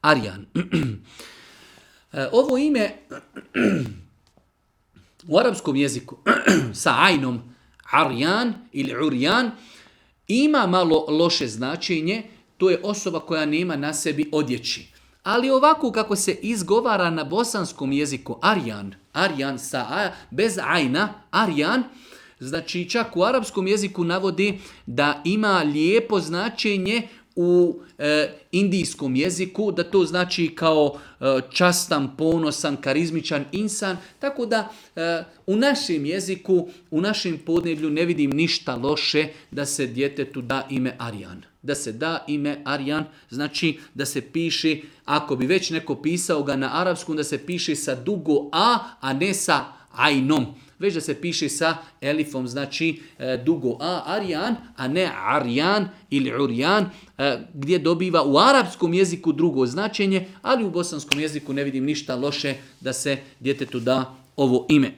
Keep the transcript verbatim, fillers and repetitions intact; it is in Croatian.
Arjan. Ovo ime u arapskom jeziku sa ajnom Arjan ili Urjan ima malo loše značenje, to je osoba koja nema na sebi odjeći. Ali ovako kako se izgovara na bosanskom jeziku Arjan, Arjan sa a, bez ajna, Arjan, znači čak u arapskom jeziku navodi da ima lijepo značenje u e, indijskom jeziku, da to znači kao e, častan, ponosan, karizmičan insan, tako da e, u našem jeziku, u našem podneblju ne vidim ništa loše da se djetetu da ime Arjan. Da se da ime Arjan, znači da se piše, ako bi već neko pisao ga na arapskom, da se piše sa dugo A, a ne sa ajnom. Već da se piše sa elifom, znači e, dugo A, Arjan, a ne Arjan ili Urjan, e, gdje dobiva u arapskom jeziku drugo značenje, ali u bosanskom jeziku ne vidim ništa loše da se djetetu da ovo ime.